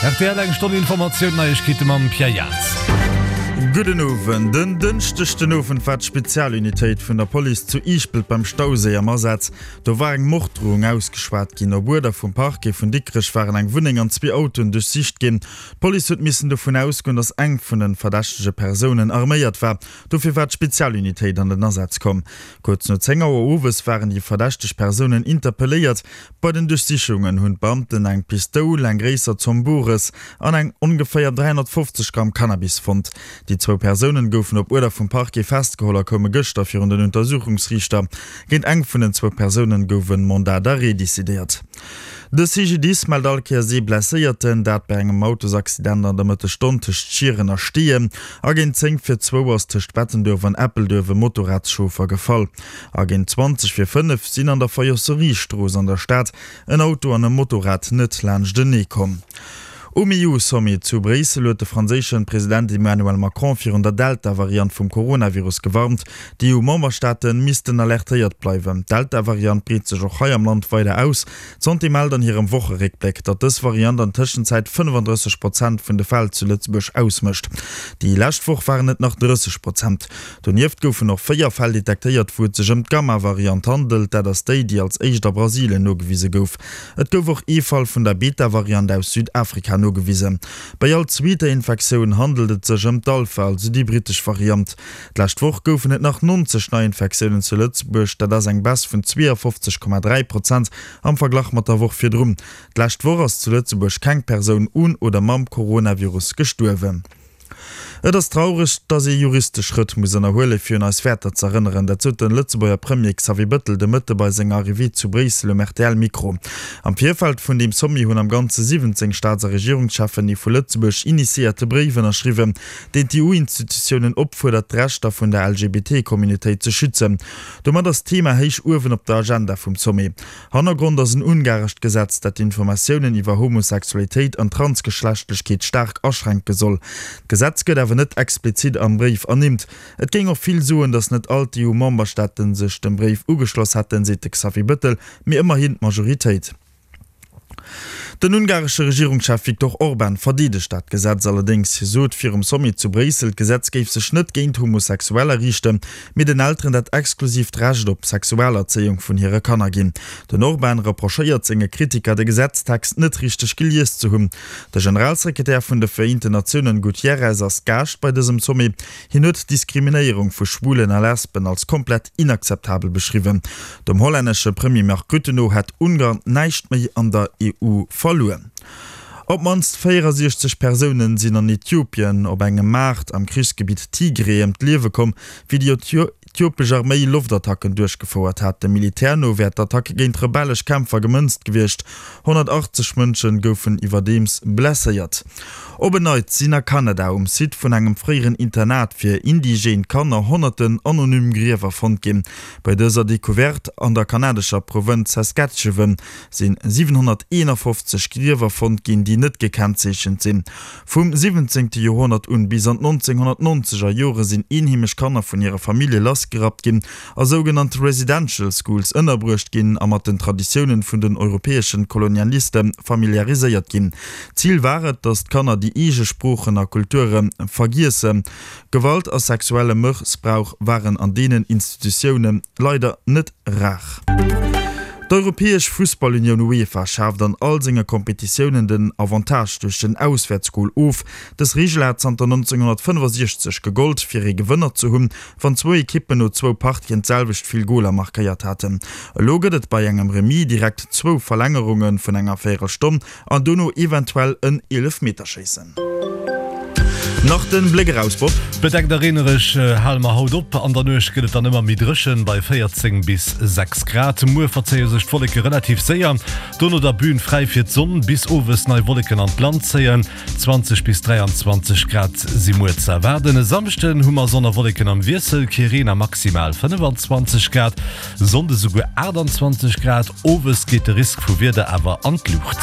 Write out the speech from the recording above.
Rtl eng Stonn Informatioun, Neiegkeete mam Pierre Jaans. Gudden Owend. En Dënschdeg den Owend war d'Spezialunitéit vun der Police zu Iischpelt beim Stauséi am Asaz. Do war eng Morddrohung ausgeschwat ginn. Op Uerder vum Parquet vun Dikrech waren eng Wunneng an zwee Autoen duerchsicht ginn. D'Police huet missen dovun ausgoen, datt eng vun de verdächtege Persounen arméiert war. Dofir war d'Spezialunitéit an den Asaz komm. Kuerz no 10 Auer owes waren déi verdächteg Persounen interpelléiert. Bei den Duerchsichungen hunn d'Beamten eng Pistoul, eng gréisser Zomm Bores an eng ongeféier 350 Gramm Cannabis fonnt. Déi zwou Persounen goufen op Uerder vum Parquet festgeholl a koume gëschter virun den Untersuchungsriichter. Géint eng vun den zwou Persounen gouf en Mandat d'arrêt decidéiert. De CGDIS mellt all Kéiers ee Blesséierten, dat bei engem Autosaccident an der Mëttesstonn tëscht Schieren a Steeën. A géint 10 vir zwou ass tëscht Bettenduerf an Eppelduerf e Motorradschauffer gefall. A géint 20 vir 5 sinn an der Fayosseriestrooss an der Stad en Auto an e Motorrad net laanschtenee komm. Um EU-Sommet zu Bréissel huet de franséische President Emmanuel Macron virun der Delta-Variant vum Coronavirus gewarnt. D'EU-Memberstaate missten alertéiert bleiwen. D'Delta-Variant breet sech och hei am Land weider aus. D'Santé mellt an hirem Wocheréckbléck, datt dës Variant an Tëschenzäit 35 Prozent vun de Fäll zu Lëtzebuerg ausmécht. Déi lescht Woch waren et nach 30 Prozent. Donieft goufen och 4 Fäll detektéiert, wou et sech ëm d'Gamma-Variant handelt. Dat ass déi, déi als éischt a Brasilien nogewise gouf. Et gouf och ee Fall vun der Beta-Variant aus Südafrika nogewisen. Bei all zweeter Infektioun handelt et sech ëm d'Alpha, also déi brittesch Variant. D'lescht Woch goufen et nach 90 Neiinfektiounen zu Lëtzebuerg, dat ass eng Baisse vun 52,3 Prozent am Verglach mat der Woch virdrun. D'lescht Woch ass zu Lëtzebuerg keng Persoun un oder mam Coronavirus gestuerwen. Et ass traureg, datt ee juristesch Schrëtt muss ënnerhuelen, fir un eis Wäerter z'erënneren. Dat sot de Lëtzebuerger Premier Xavier Bëttel de Mëtte bei senger Arrivée zu Bréissel um RTL-Mikro. Am Virfeld vun deem Sommet hunn am Ganze 17 Staats a Regierungscheffen ee vu Lëtzebuerg initiéierte Bréif ënnerschriwwen, deen d'EU-Institutiounen opfuerdert, d'Rechter vun der LGBT-Communautéit ze schützen. Domat ass d'Thema héich uewen op der Agenda vum Sommet. Hannergrond ass en ungarescht Gesetz, dat d'Informatiounen iwwer Homosexualitéit an Transgeschlechtlechkeet staark aschränke soll. D'Gesetz gëtt awer net explizit am Bréif ernimmt. Et géing och vill soen, datt net all d'EU-Memberstaate sech dem Bréif ugeschloss hätten, seet de Xavier Bëttel, mee ëmmerhin d'Majoritéit. Den ungaresche Regierungschef Viktor Orban verdeedegt dat Gesetz allerdéngs. Hie sot virum Sommet zu Bréissel, d'Gesetz géif sech net géint Homosexueller riichten, mee den Elteren dat exklusiivt Recht op Sexualerzéiung vun hire Kanner ginn. Den Orban reprochéiert senge Kritiker, de Gesetztext net richteg gelies ze hunn. De Generalsekretär vun de Vereenten Natiounen Gutierrez ass Gaascht bei dësem Sommet. Hien huet d'Diskriminéierung vu Schwulen a Lesben als komplett inakzeptabel beschriwwen. Dem hollännesche Premier Mark Rutte no hätt Ungarn näischt méi an der EU verluer. Op d'mannst 64 Persounen sinn an Äthiopien op engem Maart am Krichsgebitt Tigray ëm d'Liewe komm, wéi déi äthiopesch Arméi Loftattacken duerchgefouert hat. Dem Militär no wär d'Attack géint rebellesch Kämpfer gemënzt gewiescht. 180 Mënsche goufen iwwerdeems blesséiert. Op en Neits sinn a Kanada um Site vun engem fréieren Internat fir indigène Kanner honnerten anonym Griewer fonnt ginn. Bei dëser Decouverte an der kanadescher Provënz Saskatchewan si 751 Griewer fonnt ginn, déi net gekennzeechent sinn. Vum 17. Joerhonnert un bis an d'Nonzénhonnertnonzeger Jore sinn eenheemesch Kanner vun hire Famillje lassgerappt ginn a sougenannt Residential Schools ënnerbruecht ginn a mat den Traditiounen vun den europäeschen Kolonialiste familiariséiert ginn. Zil war et, datt d'Kanner déi eege Sproochen a Kulture vergiessen. Gewalt a sexuelle Mëssbrauch waren an deenen Institutioune leider net rar. D'Europäesch Fussballunioun UEFA schaaft an all senge Kompetitiounen den Avantage duerch den Auswäertsgol of. Dës Reegel hat zanter 1965 gegollt, fir ee Gewënner ze hunn, wann zwou Ekippen no zwou Partien d'selwecht vill Goler markéiert haten. Elo gëtt et bei engem Remis direkt zwou Verlängerunge vun enger Véierelstonn an dono eventuell en Eelefmeterschéissen. Nach den Bléck eraus, Bob. Bedeckt a reenereg hale mer haut op. An der Nuecht gëtt et dann ëmmer méi dréchen, bei 14 bis 6 Grad. Muer verzéie sech d'Wolleke relativ séier, dono da Bühn fräi fir d'Sonn, bis owes nei Wolleken an d'Land zéien. 20 bis 23 Grad si muer ze erwaarden. E Samschden hu mer Sonn a Wolleken am Wiessel, kee Reen a maximal 25 Grad. Sonnde souguer 28 Grad. Owes geet de Risk vu Wieder awer an d'Luucht.